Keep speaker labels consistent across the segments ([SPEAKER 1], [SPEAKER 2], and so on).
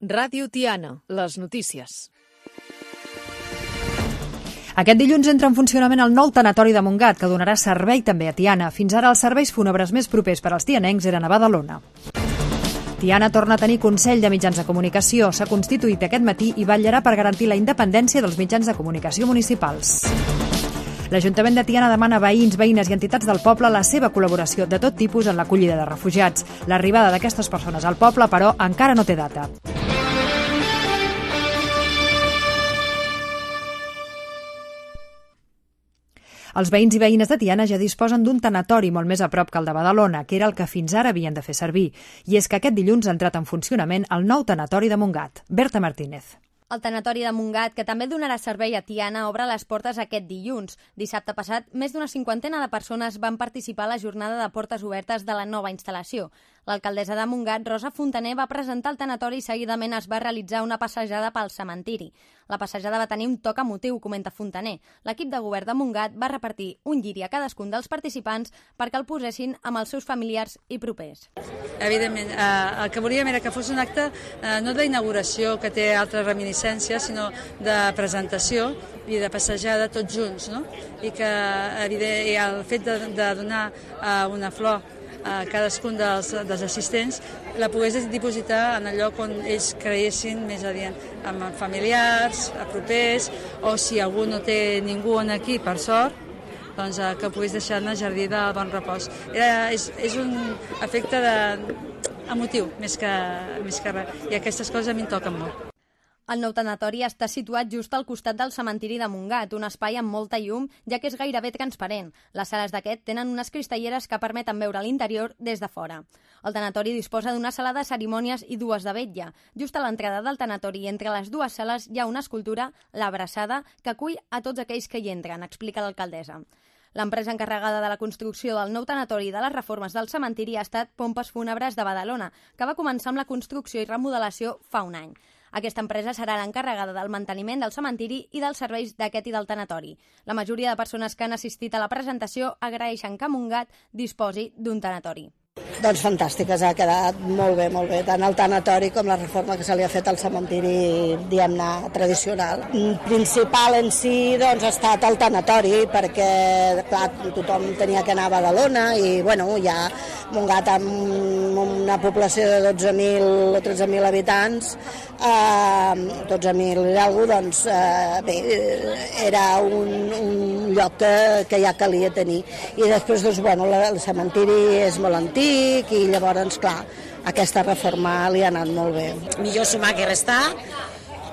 [SPEAKER 1] Ràdio Tiana, les notícies.
[SPEAKER 2] Aquest dilluns entra en funcionament el nou tanatori de Montgat, que donarà servei també a Tiana. Fins ara els serveis fúnebres més propers per als tianencs eren a Badalona. Tiana torna a tenir Consell de Mitjans de Comunicació. S'ha constituït aquest matí i vetllarà per garantir la independència dels mitjans de comunicació municipals. L'Ajuntament de Tiana demana a veïns, veïnes i entitats del poble la seva col·laboració de tot tipus en l'acollida de refugiats. L'arribada d'aquestes persones al poble, però, encara no té data. Els veïns i veïnes de Tiana ja disposen d'un tanatori molt més a prop que el de Badalona, que era el que fins ara havien de fer servir. I és que aquest dilluns ha entrat en funcionament el nou tanatori de Montgat. Berta Martínez.
[SPEAKER 3] El tanatori de Montgat, que també donarà servei a Tiana, obre les portes aquest dilluns. Dissabte passat, més d'una cinquantena de persones van participar a la jornada de portes obertes de la nova instal·lació. L'alcaldessa de Montgat, Rosa Fontaner, va presentar el tanatori i seguidament es va realitzar una passejada pel cementiri. La passejada va tenir un toc emotiu, comenta Fontaner. L'equip de govern de Montgat va repartir un lliri a cadascun dels participants perquè el posessin amb els seus familiars i propers.
[SPEAKER 4] Evidentment, el que volíem era que fos un acte no d'inauguració, que té altres reminiscències, sinó de presentació i de passejada tots junts, no? I que el fet de donar una flor a cadascun dels assistents la pogués dipositar en el lloc on ells creiessin més adient, amb familiars, propers, o si algú no té ningú aquí, per sort, doncs que pogués deixar en el jardí del Bon Repòs. És un efecte emotiu, més que res, i aquestes coses a mi em toquen molt.
[SPEAKER 3] El nou tanatori està situat just al costat del cementiri de Montgat, un espai amb molta llum, ja que és gairebé transparent. Les sales d'aquest tenen unes cristalleres que permeten veure l'interior des de fora. El tanatori disposa d'una sala de cerimònies i dues de vetlla. Just a l'entrada del tanatori, entre les dues sales, hi ha una escultura, l'Abraçada, que acull a tots aquells que hi entren, explica l'alcaldessa. L'empresa encarregada de la construcció del nou tanatori i de les reformes del cementiri ha estat Pompes Fúnebres de Badalona, que va començar amb la construcció i remodelació fa un any. Aquesta empresa serà l'encarregada del manteniment del cementiri i dels serveis d'aquest i del tanatori. La majoria de persones que han assistit a la presentació agraeixen que Montgat disposi d'un tanatori.
[SPEAKER 5] Doncs fantàstiques, ha quedat molt bé, tant el tanatori com la reforma que se li ha fet al cementiri, diguem-ne, tradicional. Principal en si, doncs, ha estat el tanatori, perquè, clar, tothom tenia que anar a Badalona i, bueno, ja Montgat amb una població de 12.000 o 13.000 habitants, 12.000 i alguna cosa, doncs, bé, era un lloc que ja calia tenir. I després, doncs, bueno, el cementiri és molt antic i llavors, clar, aquesta reforma li ha anat molt bé.
[SPEAKER 6] Millor sumar que restar.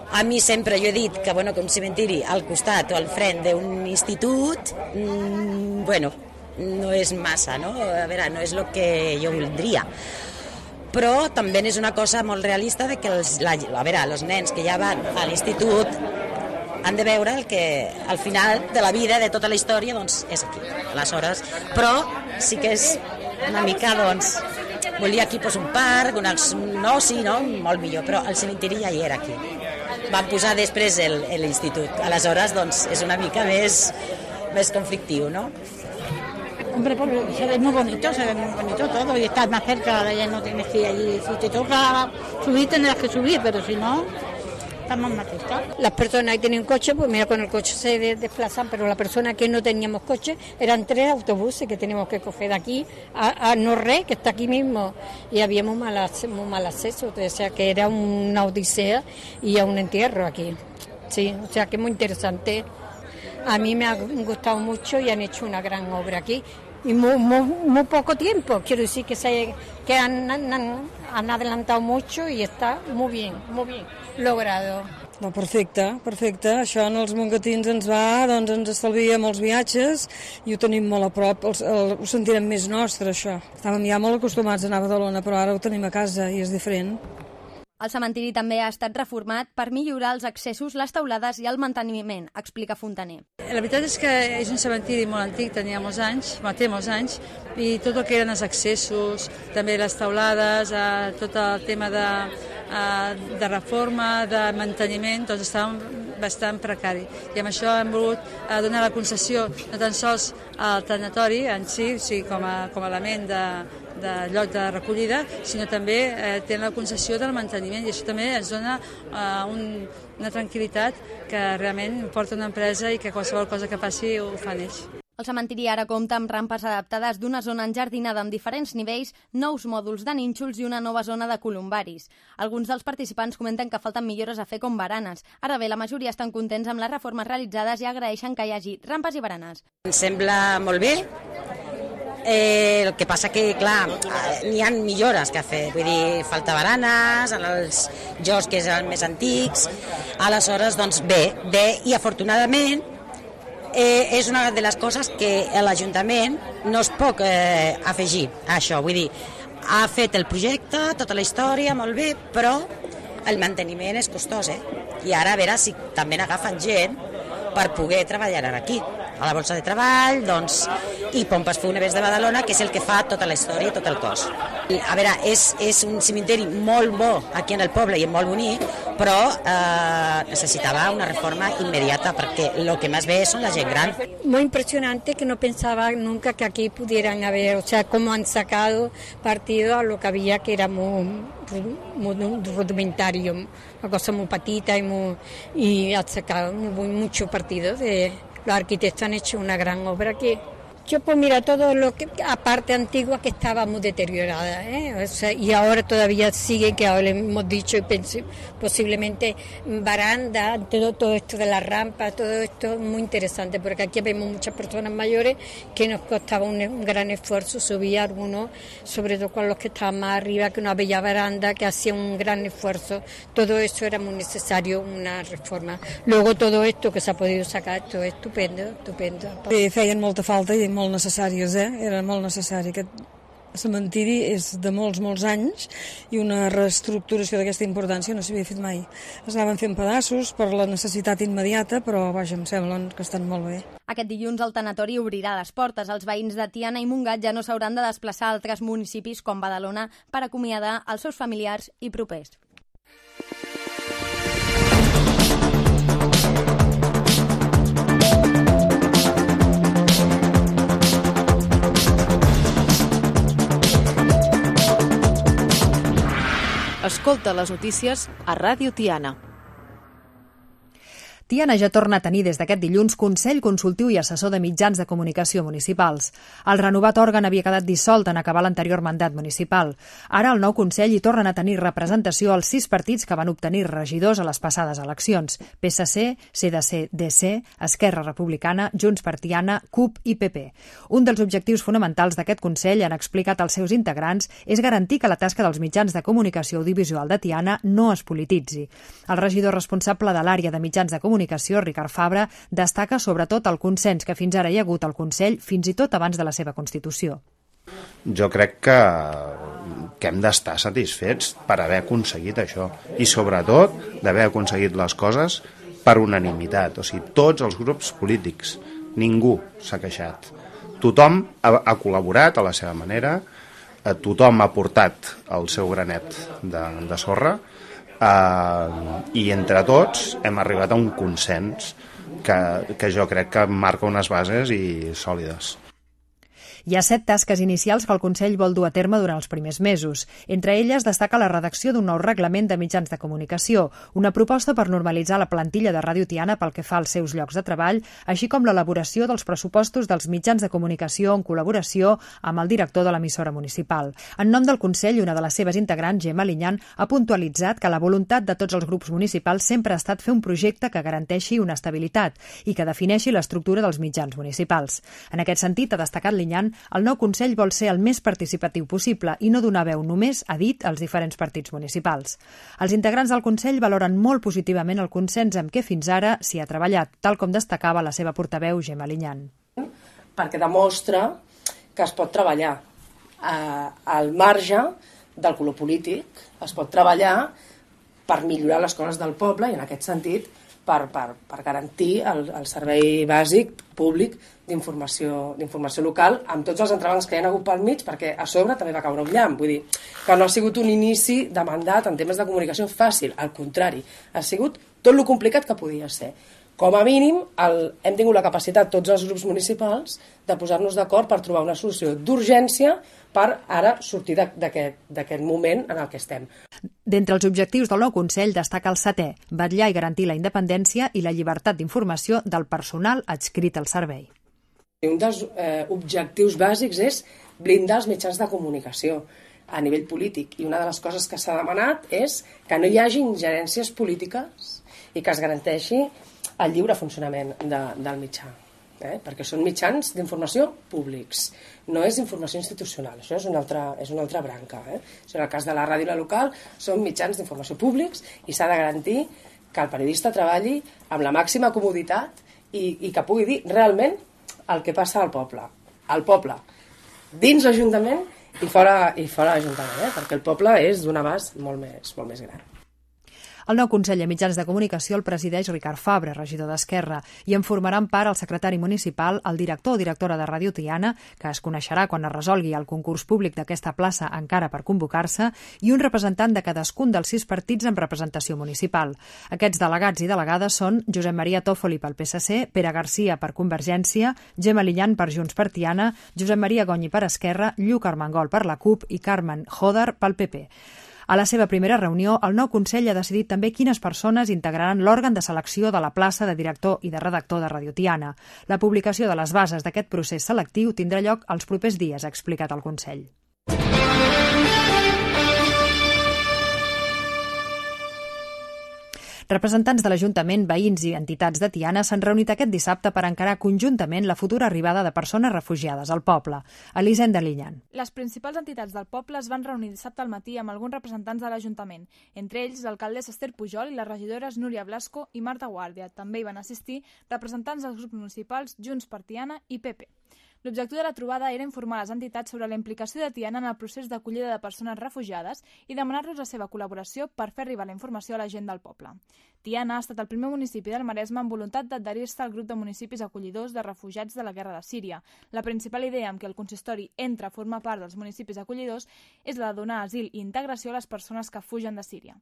[SPEAKER 6] A mi sempre jo he dit que, bueno, que un cementiri al costat o al front d'un institut, bueno, no és massa, no? A veure, no és el que jo voldria. Però també és una cosa molt realista de que els nens que ja van a l'institut han de veure el que al final de la vida, de tota la història, doncs és aquí. Aleshores, però sí que és una mica, doncs, volia aquí un parc, un oci, no? Molt millor, però el cementiri ja hi era aquí. Van posar després l'institut. Aleshores, doncs, és una mica més conflictiu, ¿no?
[SPEAKER 7] Hombre, pues se ve muy bonito todo y estás más cerca, ya no tienes que ir allí. Si te toca subir, tendrás que subir, pero si no, estamos más cerca.
[SPEAKER 8] Las personas que tienen coche, pues mira, con el coche se desplazan, pero las personas que no teníamos coche, eran 3 autobuses que teníamos que coger de aquí a Norre, que está aquí mismo, y había muy mal acceso, o sea que era una odisea y a un entierro aquí. Sí, o sea que es muy interesante. A mí me ha gustado mucho y han hecho una gran obra aquí. Y muy poco tiempo, quiero decir que han adelantado mucho y está muy bien logrado.
[SPEAKER 9] No, perfecte. Això en els mongatins ens estalvia molts viatges i ho tenim molt a prop, ho sentirem més nostre, això. Estàvem ja molt acostumats a anar a Badalona, però ara ho tenim a casa i és diferent.
[SPEAKER 3] El cementiri també ha estat reformat per millorar els accessos, les teulades i el manteniment, explica Fontaner.
[SPEAKER 4] La veritat és que és un cementiri molt antic, té molts anys, i tot el que eren els accessos, també les teulades, tot el tema de reforma, de manteniment, doncs estava bastant precari. I amb això hem volgut donar la concessió no tan sols al tanatori en si, o sigui, com a element lloc de recollida, sinó també tenen la concessió del manteniment, i això també ens dona una tranquil·litat que realment porta una empresa i que qualsevol cosa que passi ho fan ells.
[SPEAKER 3] El cementiri ara compta amb rampes adaptades d'una zona enjardinada amb diferents nivells, nous mòduls de nínxols i una nova zona de columbaris. Alguns dels participants comenten que falten millores a fer com baranes. Ara bé, la majoria estan contents amb les reformes realitzades i agraeixen que hi hagi rampes i baranes.
[SPEAKER 6] Em sembla molt bé. El que passa que, clar, n'hi ha millores que fer. Vull dir, falta baranes, en els jocs que són més antics. Aleshores, doncs bé, i afortunadament és una de les coses que l'Ajuntament no es pot afegir a això. Vull dir, ha fet el projecte, tota la història, molt bé, però el manteniment és costós, I ara a veure si també n'agafen gent per poder treballar aquí. A la Bolsa de Treball, doncs, i Pompes Fúnebres de Badalona, que és el que fa tota la història i tot el cos. A veure, és un cementiri molt bo aquí en el poble i molt bonic, però necesitaba una reforma inmediata porque lo que más ve son la gente gran.
[SPEAKER 8] Muy impresionante, que no pensaba nunca que aquí pudieran haber, o sea, cómo han sacado partido a lo que había, que era muy rudimentario, una cosa muy patita y han sacado mucho partido. Los arquitectos han hecho una gran obra aquí. Yo pues mira, todo lo que, aparte antigua, que estaba muy deteriorada, O sea, y ahora todavía sigue, que ahora le hemos dicho, y posiblemente baranda, todo esto de las rampas, todo esto es muy interesante, porque aquí vemos muchas personas mayores que nos costaba un gran esfuerzo subir algunos, sobre todo con los que estaban más arriba, que no había baranda, que hacía un gran esfuerzo. Todo eso era muy necesario, una reforma. Luego todo esto que se ha podido sacar, esto es estupendo, estupendo.
[SPEAKER 9] Bé, feien molta falta i molt necessàries, Era molt necessari. Aquest cementiri és de molts anys i una reestructuració d'aquesta importància no s'havia fet mai. Es anaven fent pedaços per la necessitat immediata, però vaja, em semblen que estan molt bé.
[SPEAKER 3] Aquest dilluns el tanatori obrirà les portes. Els veïns de Tiana i Montgat ja no s'hauran de desplaçar a altres municipis com Badalona per acomiadar els seus familiars i propers.
[SPEAKER 1] Escolta les notícies a Ràdio Tiana.
[SPEAKER 2] Tiana ja torna a tenir des d'aquest dilluns Consell Consultiu i Assessor de Mitjans de Comunicació Municipals. El renovat òrgan havia quedat dissolt en acabar l'anterior mandat municipal. Ara el nou Consell hi tornen a tenir representació als 6 partits que van obtenir regidors a les passades eleccions: PSC, CDC, DC, Esquerra Republicana, Junts per Tiana, CUP i PP. Un dels objectius fonamentals d'aquest Consell, han explicat els seus integrants, és garantir que la tasca dels mitjans de comunicació audiovisual de Tiana no es polititzi. El regidor responsable de l'àrea de mitjans de comunicació, Ricard Fabra, destaca sobretot el consens que fins ara hi ha hagut al Consell, fins i tot abans de la seva constitució.
[SPEAKER 10] Jo crec que hem d'estar satisfets per haver aconseguit això i sobretot d'haver aconseguit les coses per unanimitat, o sigui, tots els grups polítics, ningú s'ha queixat. Tothom ha col·laborat a la seva manera, tothom ha portat el seu granet de sorra, i entre tots hem arribat a un consens que jo crec que marca unes bases i sòlides.
[SPEAKER 2] Hi ha 7 tasques inicials que el Consell vol dur a terme durant els primers mesos. Entre elles destaca la redacció d'un nou reglament de mitjans de comunicació, una proposta per normalitzar la plantilla de Ràdio Tiana pel que fa als seus llocs de treball, així com l'elaboració dels pressupostos dels mitjans de comunicació en col·laboració amb el director de l'emissora municipal. En nom del Consell, una de les seves integrants, Gemma Linyan, ha puntualitzat que la voluntat de tots els grups municipals sempre ha estat fer un projecte que garanteixi una estabilitat i que defineixi l'estructura dels mitjans municipals. En aquest sentit, ha destacat Linyan, el nou Consell vol ser el més participatiu possible i no donar veu només, ha dit, als diferents partits municipals. Els integrants del Consell valoren molt positivament el consens amb què fins ara s'hi ha treballat, tal com destacava la seva portaveu Gemma Linyan.
[SPEAKER 11] Perquè demostra que es pot treballar al marge del color polític, es pot treballar per millorar les coses del poble i en aquest sentit per garantir el servei bàsic públic d'informació local amb tots els entrebancs que hi ha hagut pel mig, perquè a sobre també va caure un llamp. Vull dir que no ha sigut un inici de mandat en temes de comunicació fàcil, al contrari, ha sigut tot lo complicat que podia ser. Com a mínim, hem tingut la capacitat, tots els grups municipals, de posar-nos d'acord per trobar una solució d'urgència per ara sortir d'aquest moment en el que estem.
[SPEAKER 2] D'entre els objectius del nou Consell destaca el 7è, vetllar i garantir la independència i la llibertat d'informació del personal adscrit al servei.
[SPEAKER 11] Un dels objectius bàsics és blindar els mitjans de comunicació a nivell polític, i una de les coses que s'ha demanat és que no hi hagi ingerències polítiques i que es garanteixi el lliure funcionament del mitjà, perquè són mitjans d'informació públics, no és informació institucional, això és una altra branca. En el cas de la ràdio i la local són mitjans d'informació públics i s'ha de garantir que el periodista treballi amb la màxima comoditat i que pugui dir realment el que passa al poble. Al poble, dins l'Ajuntament i fora l'Ajuntament, perquè el poble és d'un abast molt més gran.
[SPEAKER 2] El nou Consell de Mitjans de Comunicació el presideix Ricard Fabra, regidor d'Esquerra, i en formaran part el secretari municipal, el director o directora de Ràdio Tiana, que es coneixerà quan es resolgui el concurs públic d'aquesta plaça encara per convocar-se, i un representant de cadascun dels 6 partits amb representació municipal. Aquests delegats i delegades són Josep Maria Tòfoli pel PSC, Pere Garcia per Convergència, Gemma Lillan per Junts per Tiana, Josep Maria Gonyi per Esquerra, Lluc Armengol per la CUP i Carmen Joder pel PP. A la seva primera reunió, el nou Consell ha decidit també quines persones integraran l'òrgan de selecció de la plaça de director i de redactor de Ràdio Tiana. La publicació de les bases d'aquest procés selectiu tindrà lloc els propers dies, ha explicat el Consell. Representants de l'Ajuntament, veïns i entitats de Tiana s'han reunit aquest dissabte per encarar conjuntament la futura arribada de persones refugiades al poble. Elisenda Lillan.
[SPEAKER 12] Les principals entitats del poble es van reunir dissabte al matí amb alguns representants de l'Ajuntament, entre ells l'alcaldessa Esther Pujol i les regidores Núria Blasco i Marta Guàrdia. També hi van assistir representants dels grups municipals Junts per Tiana i PP. L'objectiu de la trobada era informar les entitats sobre la implicació de Tiana en el procés d'acollida de persones refugiades i demanar-los la seva col·laboració per fer arribar la informació a la gent del poble. Tiana ha estat el primer municipi del Maresme amb voluntat d'adherir-se al grup de municipis acollidors de refugiats de la guerra de Síria. La principal idea amb què el consistori entra a formar part dels municipis acollidors és la de donar asil i integració a les persones que fugen de Síria.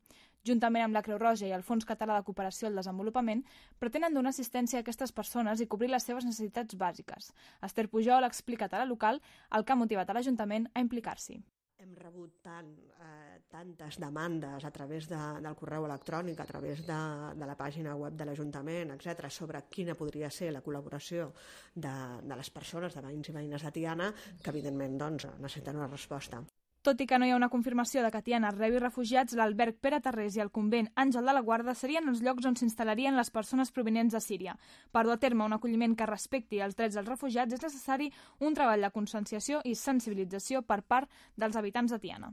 [SPEAKER 12] Juntament amb la Creu Roja i el Fons Català de Cooperació al Desenvolupament, pretenen donar assistència a aquestes persones i cobrir les seves necessitats bàsiques. Esther Pujol ha explicat a la local el que ha motivat a l'Ajuntament a implicar-s'hi.
[SPEAKER 13] Hem rebut tantes demandes a través del correu electrònic, a través de la pàgina web de l'Ajuntament, etc., sobre quina podria ser la col·laboració de les persones, de veïns i veïnes de Tiana, que evidentment necessiten una resposta.
[SPEAKER 12] Tot i que no hi ha una confirmació de que Tiana rebi refugiats, l'alberg Pere Tarrés i el convent Àngel de la Guarda serien els llocs on s'instal·larien les persones provinents de Síria. Per dur a terme un acolliment que respecti els drets dels refugiats és necessari un treball de conscienciació i sensibilització per part dels habitants de Tiana.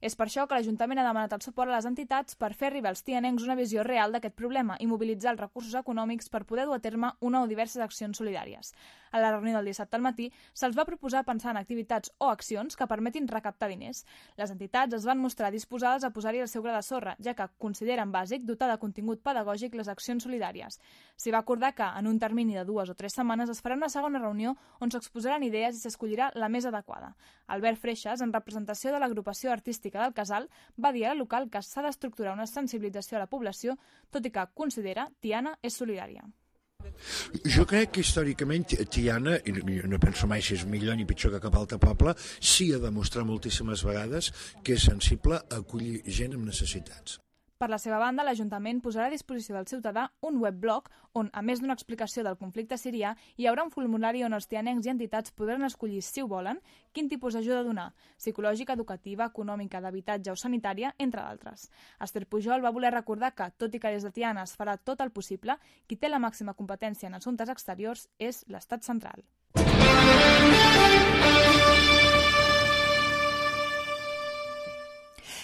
[SPEAKER 12] És per això que l'Ajuntament ha demanat el suport a les entitats per fer arribar als tianencs una visió real d'aquest problema i mobilitzar els recursos econòmics per poder dur a terme una o diverses accions solidàries. A la reunió del dissabte al matí se'ls va proposar pensar en activitats o accions que permetin recaptar diners. Les entitats es van mostrar disposades a posar-hi el seu gra de sorra, ja que consideren bàsic dotar de contingut pedagògic les accions solidàries. S'hi va acordar que, en un termini de 2 o 3 setmanes, es farà una segona reunió on s'exposaran idees i s'escollirà la més adequada. Albert Freixas, en representació de l'agrupació artística del Casal, va dir a la local que s'ha d'estructurar una sensibilització a la població, tot i que considera Tiana és solidària.
[SPEAKER 14] Jo crec que històricament Tiana, i no penso mai si és millor ni pitjor que cap altre poble, sí ha demostrat moltíssimes vegades que és sensible a acollir gent amb necessitats.
[SPEAKER 12] Per la seva banda, l'Ajuntament posarà a disposició del ciutadà un webblog on, a més d'una explicació del conflicte sirià, hi haurà un formulari on els tianencs i entitats podran escollir, si ho volen, quin tipus d'ajuda donar, psicològica, educativa, econòmica, d'habitatge o sanitària, entre d'altres. Esther Pujol va voler recordar que, tot i que des de Tiana es farà tot el possible, qui té la màxima competència en assumptes exteriors és l'Estat central.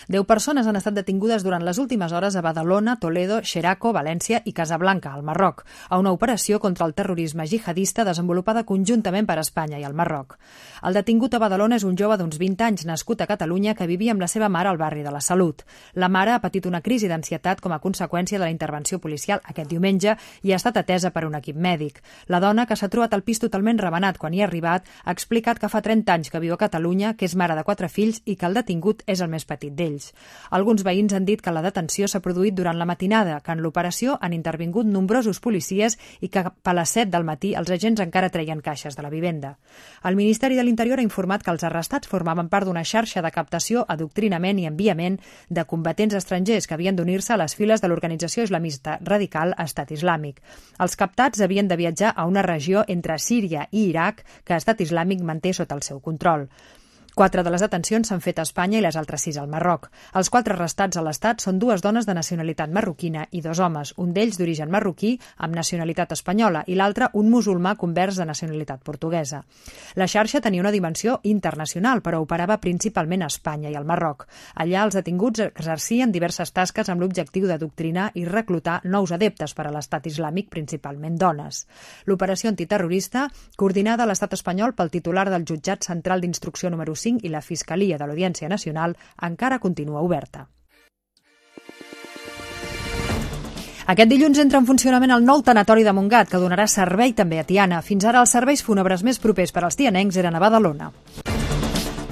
[SPEAKER 2] 10 persones han estat detingudes durant les últimes hores a Badalona, Toledo, Xeraco, València i Casablanca, al Marroc, a una operació contra el terrorisme jihadista desenvolupada conjuntament per Espanya i el Marroc. El detingut a Badalona és un jove d'uns 20 anys nascut a Catalunya que vivia amb la seva mare al barri de la Salut. La mare ha patit una crisi d'ansietat com a conseqüència de la intervenció policial aquest diumenge i ha estat atesa per un equip mèdic. La dona, que s'ha trobat el pis totalment rebenat quan hi ha arribat, ha explicat que fa 30 anys que viu a Catalunya, que és mare de 4 fills i que el detingut és el més petit d'ells. d'ells. Alguns veïns han dit que la detenció s'ha produït durant la matinada, que en l'operació han intervingut nombrosos policies i que cap a les 7 del matí els agents encara treien caixes de la vivenda. El Ministeri de l'Interior ha informat que els arrestats formaven part d'una xarxa de captació, adoctrinament i enviament de combatents estrangers que havien d'unir-se a les files de l'organització islamista radical Estat Islàmic. Els captats havien de viatjar a una regió entre Síria i Iraq que Estat Islàmic manté sota el seu control. 4 de les detencions s'han fet a Espanya i les altres 6 al Marroc. Els 4 arrestats a l'Estat són 2 dones de nacionalitat marroquina i 2 homes, un d'ells d'origen marroquí amb nacionalitat espanyola i l'altre un musulmà convers de nacionalitat portuguesa. La xarxa tenia una dimensió internacional, però operava principalment a Espanya i al Marroc. Allà els detinguts exercien diverses tasques amb l'objectiu d'adoctrinar i reclutar nous adeptes per a l'Estat Islàmic, principalment dones. L'operació antiterrorista, coordinada a l'Estat espanyol pel titular del Jutjat Central d'Instrucció número 5 i la Fiscalia de l'Audiència Nacional, encara continua oberta. Aquest dilluns entra en funcionament el nou tanatori de Montgat, que donarà servei també a Tiana. Fins ara els serveis fúnebres més propers per als tianencs eren a Badalona.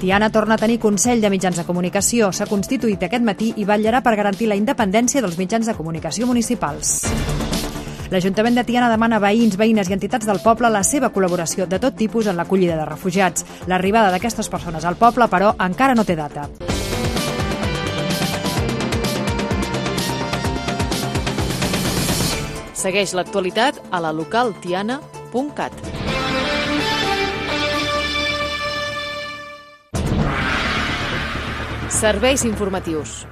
[SPEAKER 2] Tiana torna a tenir Consell de Mitjans de Comunicació. S'ha constituït aquest matí i vetllarà per garantir la independència dels mitjans de comunicació municipals. L'Ajuntament de Tiana demana a veïns, veïnes i entitats del poble la seva col·laboració de tot tipus en l'acollida de refugiats. L'arribada d'aquestes persones al poble, però, encara no té data.
[SPEAKER 1] Segueix l'actualitat a la localtiana.cat. Serveis informatius.